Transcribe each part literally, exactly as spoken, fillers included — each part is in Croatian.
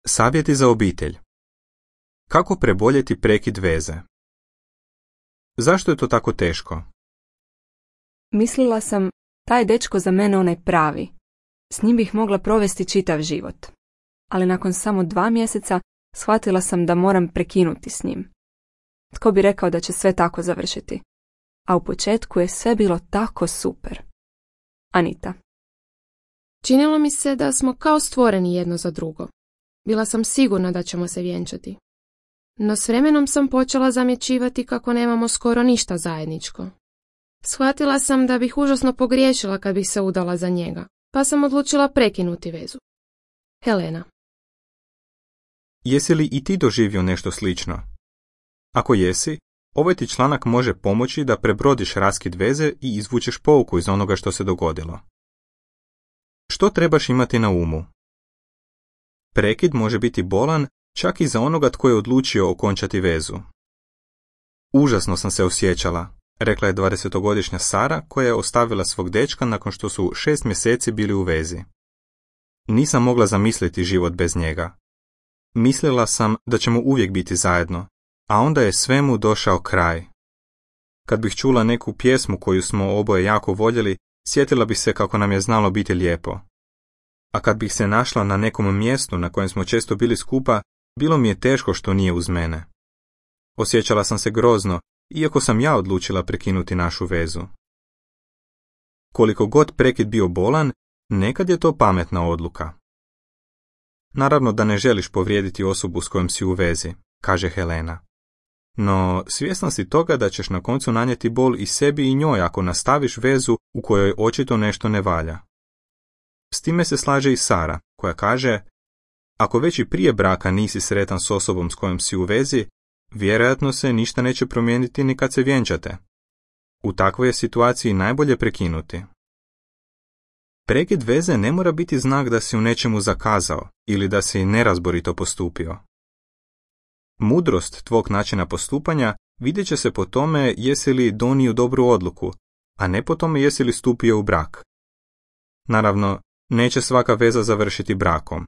Savjeti za obitelj. Kako preboljeti prekid veze? Zašto je to tako teško? Mislila sam, taj dečko za mene onaj pravi. S njim bih mogla provesti čitav život. Ali nakon samo dva mjeseca shvatila sam da moram prekinuti s njim. Tko bi rekao da će sve tako završiti? A u početku je sve bilo tako super. Anita. Činilo mi se da smo kao stvoreni jedno za drugo. Bila sam sigurna da ćemo se vjenčati. No s vremenom sam počela zamjećivati kako nemamo skoro ništa zajedničko. Shvatila sam da bih užasno pogriješila kad bih se udala za njega, pa sam odlučila prekinuti vezu. Helena. Jesi li i ti doživio nešto slično? Ako jesi, ovaj ti članak može pomoći da prebrodiš raskid veze i izvučeš pouku iz onoga što se dogodilo. Što trebaš imati na umu? Prekid može biti bolan čak i za onoga tko je odlučio okončati vezu. Užasno sam se osjećala, rekla je dvadesetogodišnja Sara koja je ostavila svog dečka nakon što su šest mjeseci bili u vezi. Nisam mogla zamisliti život bez njega. Mislila sam da ćemo uvijek biti zajedno, a onda je svemu došao kraj. Kad bih čula neku pjesmu koju smo oboje jako voljeli, sjetila bih se kako nam je znalo biti lijepo. A kad bih se našla na nekom mjestu na kojem smo često bili skupa, bilo mi je teško što nije uz mene. Osjećala sam se grozno, iako sam ja odlučila prekinuti našu vezu. Koliko god prekid bio bolan, nekad je to pametna odluka. Naravno da ne želiš povrijediti osobu s kojom si u vezi, kaže Helena. No, svjesna si toga da ćeš na koncu nanijeti bol i sebi i njoj ako nastaviš vezu u kojoj očito nešto ne valja. S time se slaže i Sara, koja kaže, ako već i prije braka nisi sretan s osobom s kojom si u vezi, vjerojatno se ništa neće promijeniti ni kad se vjenčate. U takvoj je situaciji najbolje prekinuti. Prekid veze ne mora biti znak da si u nečemu zakazao ili da si nerazborito postupio. Mudrost tvog načina postupanja vidjet će se po tome jesi li donio dobru odluku, a ne po tome jesi li stupio u brak. Naravno, neće svaka veza završiti brakom.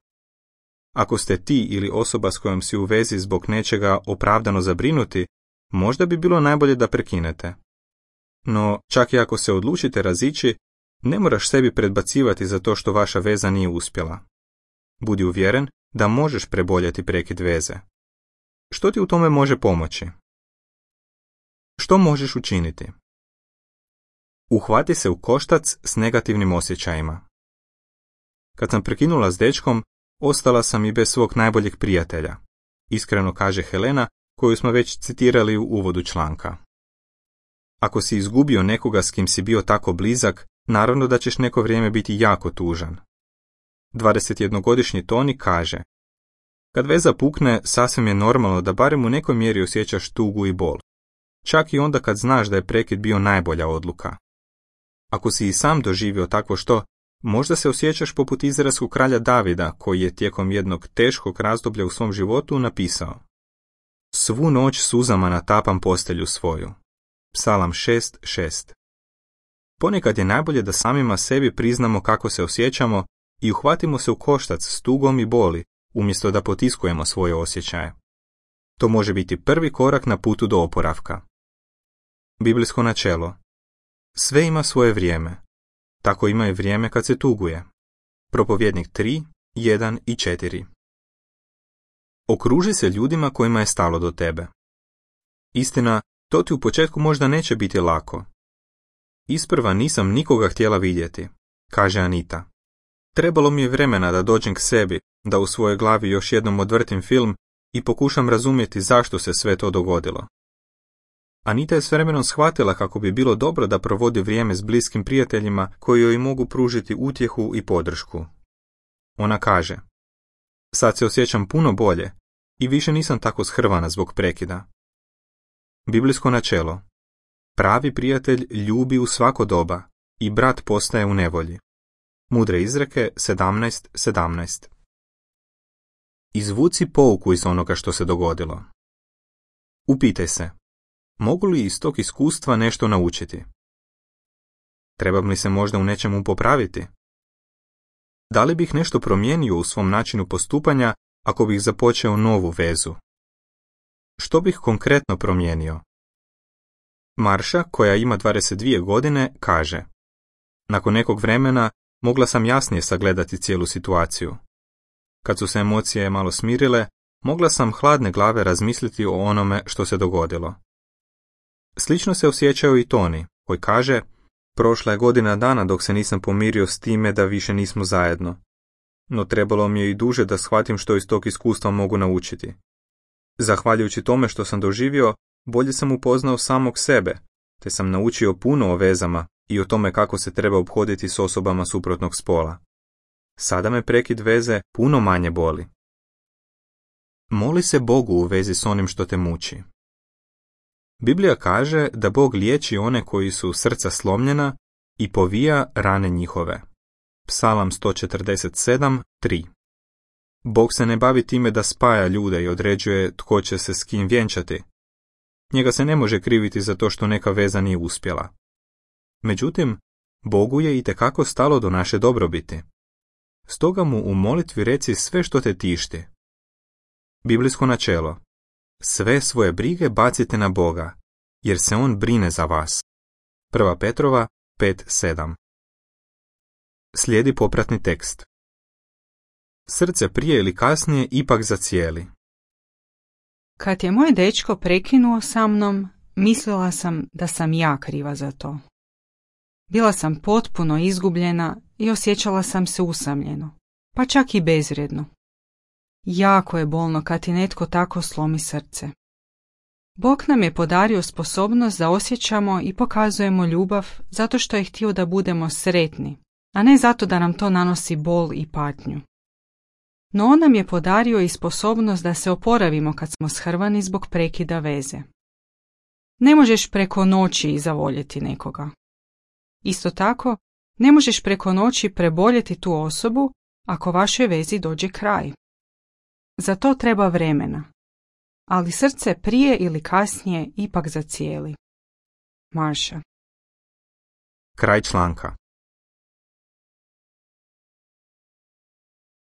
Ako ste ti ili osoba s kojom si u vezi zbog nečega opravdano zabrinuti, možda bi bilo najbolje da prekinete. No, čak i ako se odlučite razići, ne moraš sebi predbacivati za to što vaša veza nije uspjela. Budi uvjeren da možeš preboljeti prekid veze. Što ti u tome može pomoći? Što možeš učiniti? Uhvati se u koštac s negativnim osjećajima. Kad sam prekinula s dečkom, ostala sam i bez svog najboljeg prijatelja, iskreno kaže Helena, koju smo već citirali u uvodu članka. Ako si izgubio nekoga s kim si bio tako blizak, naravno da ćeš neko vrijeme biti jako tužan. dvadesetjednogodišnji Toni kaže, kad veza pukne, sasvim je normalno da barem u nekoj mjeri osjećaš tugu i bol, čak i onda kad znaš da je prekid bio najbolja odluka. Ako si i sam doživio takvo što, možda se osjećaš poput izraelskog kralja Davida, koji je tijekom jednog teškog razdoblja u svom životu napisao: Svu noć suzama natapam postelju svoju. Psalam šest šest. Ponekad je najbolje da samima sebi priznamo kako se osjećamo i uhvatimo se u koštac s tugom i boli, umjesto da potiskujemo svoje osjećaje. To može biti prvi korak na putu do oporavka. Biblijsko načelo. Sve ima svoje vrijeme. Tako ima i vrijeme kad se tuguje. Propovjednik tri, jedan i četiri. Okruži se ljudima kojima je stalo do tebe. Istina, to ti u početku možda neće biti lako. Isprva nisam nikoga htjela vidjeti, kaže Anita. Trebalo mi je vremena da dođem k sebi, da u svojoj glavi još jednom odvrtim film i pokušam razumjeti zašto se sve to dogodilo. Anita je s vremenom shvatila kako bi bilo dobro da provodi vrijeme s bliskim prijateljima koji joj mogu pružiti utjehu i podršku. Ona kaže, sad se osjećam puno bolje i više nisam tako shrvana zbog prekida. Biblijsko načelo. Pravi prijatelj ljubi u svako doba i brat postaje u nevolji. Mudre izreke sedamnaest sedamnaest. Izvuci pouku iz onoga što se dogodilo. Upitaj se, mogu li iz tog iskustva nešto naučiti? Trebam li se možda u nečemu popraviti? Da li bih nešto promijenio u svom načinu postupanja ako bih započeo novu vezu? Što bih konkretno promijenio? Marša, koja ima dvadeset dvije godine, kaže: nakon nekog vremena mogla sam jasnije sagledati cijelu situaciju. Kad su se emocije malo smirile, mogla sam hladne glave razmisliti o onome što se dogodilo. Slično se osjećao i Toni, koji kaže: prošla je godina dana dok se nisam pomirio s time da više nismo zajedno. No trebalo mi je i duže da shvatim što iz tog iskustva mogu naučiti. Zahvaljujući tome što sam doživio, bolje sam upoznao samog sebe, te sam naučio puno o vezama i o tome kako se treba ophoditi s osobama suprotnog spola. Sada me prekid veze puno manje boli. Moli se Bogu u vezi s onim što te muči. Biblija kaže da Bog liječi one koji su srca slomljena i povija rane njihove. Psalam sto četrdeset sedam, tri. Bog se ne bavi time da spaja ljude i određuje tko će se s kim vjenčati. Njega se ne može kriviti za to što neka veza nije uspjela. Međutim, Bogu je itekako stalo do naše dobrobiti. Stoga mu u molitvi reci sve što te tišti. Biblijsko načelo: sve svoje brige bacite na Boga, jer se on brine za vas. Prva Petrova pet sedam. Slijedi popratni tekst. Srce prije ili kasnije ipak zacijeli. Kad je moj dečko prekinuo sa mnom, mislila sam da sam ja kriva za to. Bila sam potpuno izgubljena i osjećala sam se usamljeno, pa čak i bezvrijedno. Jako je bolno kad ti netko tako slomi srce. Bog nam je podario sposobnost da osjećamo i pokazujemo ljubav zato što je htio da budemo sretni, a ne zato da nam to nanosi bol i patnju. No on nam je podario i sposobnost da se oporavimo kad smo shrvani zbog prekida veze. Ne možeš preko noći zavoljeti nekoga. Isto tako, ne možeš preko noći preboljeti tu osobu ako vašoj vezi dođe kraj. Za to treba vremena, ali srce prije ili kasnije ipak zacijeli. Marša. Kraj članka.